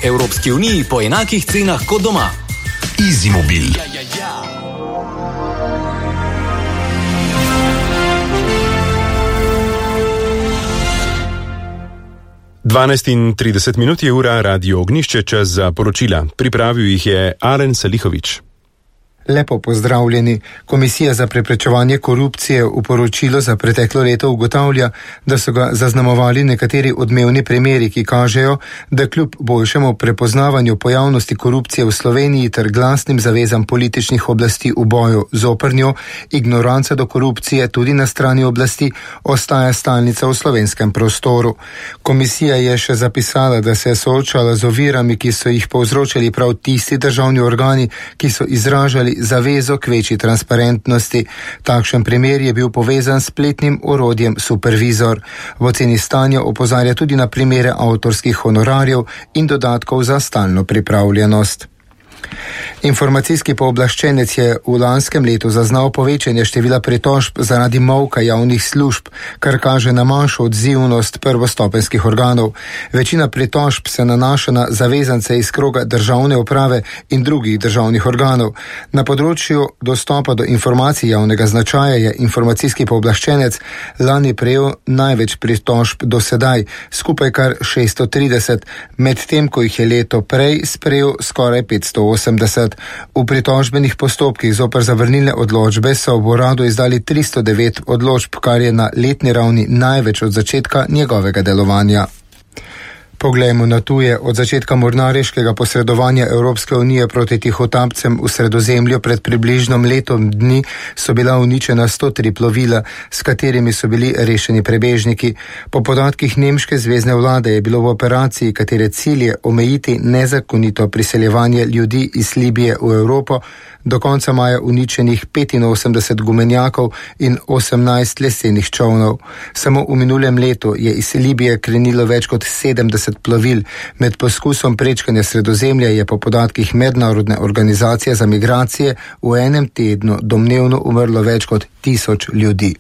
Evropski uniji po enakih cenah kot doma. EasyMobil. 12:30 je ura, Radio Ognjišče, čas za poročila. Pripravil jih je Alen Salihovič. Lepo pozdravljeni. Komisija za preprečevanje korupcije v poročilu za preteklo leto ugotavlja, da so ga zaznamovali nekateri odmevni primeri, ki kažejo, da kljub boljšemu prepoznavanju pojavnosti korupcije v Sloveniji ter glasnim zavezam političnih oblasti v boju zoper njo, ignoranca do korupcije tudi na strani oblasti ostaja stalnica v slovenskem prostoru. Komisija je še zapisala, da se je soočala z ovirami, ki so jih povzročali prav tisti državni organi, ki so izražali zavezo k večji transparentnosti. Takšen primer je bil povezan s spletnim orodjem Supervizor. V oceni stanja opozarja tudi na primere avtorskih honorarjev in dodatkov za stalno pripravljenost. Informacijski pooblaščenec je v lanskem letu zaznal povečanje števila pritožb zaradi molka javnih služb, kar kaže na manjšo odzivnost prvostopenjskih organov. Večina pritožb se nanaša na zavezance iz kroga državne uprave in drugih državnih organov. Na področju dostopa do informacij javnega značaja je informacijski pooblaščenec lani prejel največ pritožb do sedaj, skupaj kar 630, medtem ko jih je leto prej sprejel skoraj 580. V pritožbenih postopkih zoper zavrnilne odločbe so v uradu izdali 309 odločb, kar je na letni ravni največ od začetka njegovega delovanja. Poglejmo na tuje. Od začetka mornariškega posredovanja Evropske unije proti tihotapcem v Sredozemlju pred približno letom dni so bila uničena 103 plovila, s katerimi so bili rešeni prebežniki. Po podatkih nemške zvezne vlade je bilo v operaciji, katere cilj je omejiti nezakonito priseljevanje ljudi iz Libije v Evropo, do konca maja uničenih 85 gumenjakov in 18 lesenih čolnov. Samo v minulem letu je iz Libije krenilo več kot 70 plovil. Med poskusom prečkanja Sredozemlja je po podatkih Mednarodne organizacije za migracije v enem tednu domnevno umrlo več kot 1000 ljudi.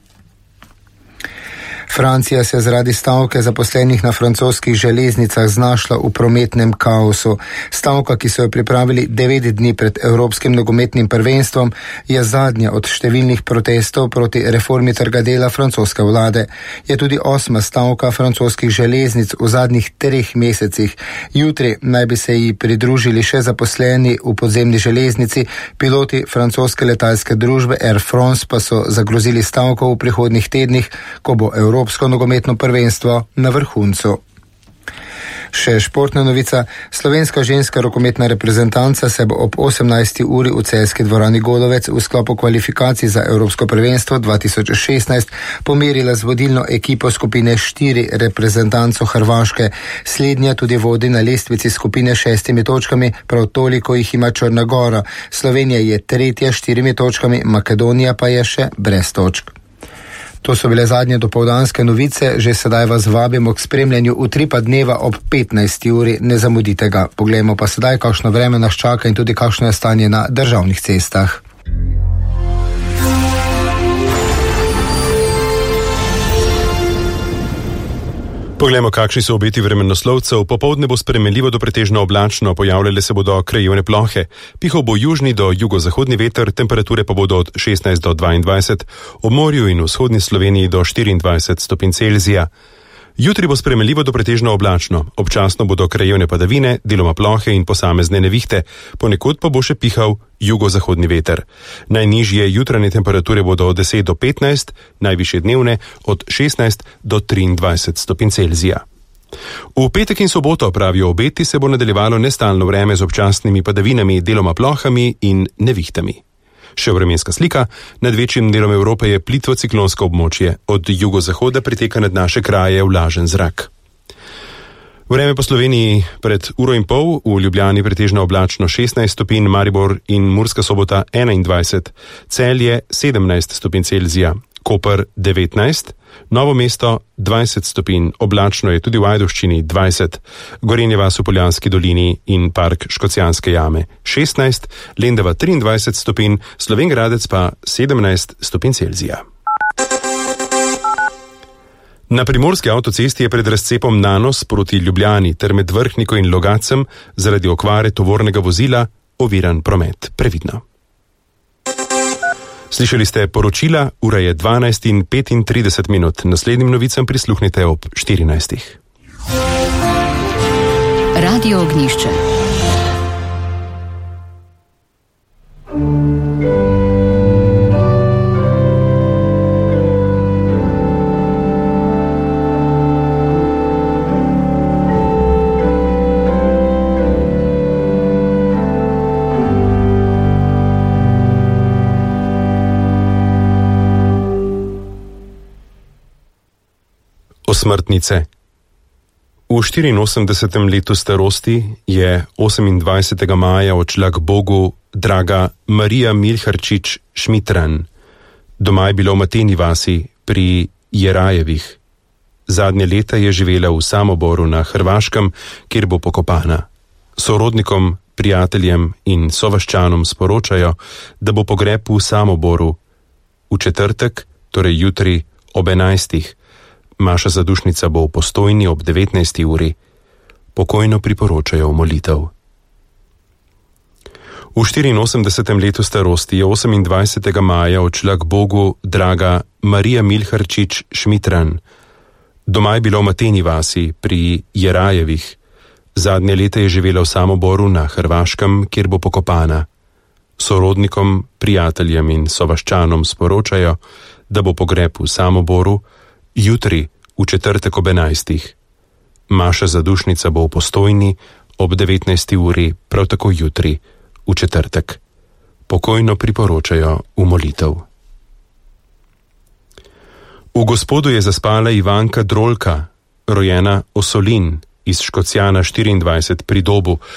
Francija se je zaradi stavke zaposlenih na francoskih železnicah znašla v prometnem kaosu. Stavka, ki so jo pripravili 9 dni pred Evropskim nogometnim prvenstvom, je zadnja od številnih protestov proti reformi trga dela francoske vlade. Je tudi 8. stavka francoskih železnic v zadnjih 3 mesecih. Jutri naj bi se ji pridružili še zaposleni v podzemni železnici, piloti francoske letalske družbe Air France pa so zagrozili stavko v prihodnjih tednih, ko bo Evropsko nogometno prvenstvo na vrhuncu. Še športna novica. Slovenska ženska rokometna reprezentanca se bo ob 18. uri v celjski dvorani Golovec v sklopu kvalifikacij za Evropsko prvenstvo 2016 pomerila z vodilno ekipo skupine 4 reprezentanco Hrvaške. Slednja tudi vodi na lestvici skupine 6 točkami, prav toliko jih ima Črna Gora. Slovenija je 3. 4 točkami, Makedonija pa je še brez točk. To so bile zadnje dopoldanske novice, že sedaj vas vabimo k spremljanju Utripa dneva ob 15. uri, ne zamudite ga. Poglejmo pa sedaj, kakšno vreme nas čaka in tudi kakšno je stanje na državnih cestah. Poglejmo, kakšni so obeti vremenoslovcev. Popoldne bo spremenljivo do pretežno oblačno, pojavljale se bodo krajevne plohe. Pihal bo južni do jugozahodni veter, temperature pa bodo od 16 do 22, ob morju in vzhodni Sloveniji do 24 stopinj Celzija. Jutri bo spremenljivo do pretežno oblačno, občasno bodo krajevne padavine, deloma plohe in posamezne nevihte, ponekod pa bo še pihal jugozahodni veter. Najnižje jutranje temperature bodo od 10 do 15, najvišje dnevne od 16 do 23 stopinj Celzija. V petek in soboto, pravijo obeti, se bo nadaljevalo nestalno vreme z občasnimi padavinami, deloma plohami in nevihtami. Še vremenska slika. Nad večjim delom Evrope je plitvo ciklonsko območje. Od jugozahoda priteka nad naše kraje vlažen zrak. Vreme po Sloveniji pred uro in pol, v Ljubljani pretežno oblačno 16 stopinj, Maribor in Murska Sobota 21, Celje 17 stopinj Celzija, Koper 19, Novo mesto 20 stopinj, oblačno je tudi v Ajdovščini 20, Gorenje vas v Poljanski dolini in park Škocjanske jame 16, Lendava 23 stopinj, Slovenj Gradec pa 17 stopinj Celzija. Na primorski avtocesti je pred razcepom Nanos proti Ljubljani ter med Vrhniko in Logacem zaradi okvare tovornega vozila oviran promet. Previdno. Slišali ste poročila, ura je 12:35. Naslednjim novicam prisluhnite ob 14. Radio Ognjišče. Osmrtnice. V 84. letu starosti je 28. maja odšla k Bogu draga Marija Milharčič Šmitran. Doma je bila v Mateni vasi pri Jerajevih. Zadnje leta je živela v Samoboru na Hrvaškem, kjer bo pokopana. Sorodnikom, prijateljem in sovaščanom sporočajo, da bo pogreb v Samoboru v četrtek, torej jutri ob 11. Maša zadušnica bo v Postojni ob 19. uri. Pokojno priporočajo v molitev. V 84. letu starosti je 28. maja odšla k Bogu draga Marija Milharčič Šmitran. Doma je bila v Mateni vasi pri Jerajevih. Zadnje leta je živela v Samoboru na Hrvaškem, kjer bo pokopana. Sorodnikom, prijateljem in sovaščanom sporočajo, da bo pogreb v Samoboru jutri v četrtek ob 11. Maša zadušnica bo v Postojni ob 19. uri, prav tako jutri v četrtek. Pokojno priporočajo v molitev. V Gospodu je zaspala Ivanka Drolka, rojena Osolin iz Škocjana 24 pri Dobu,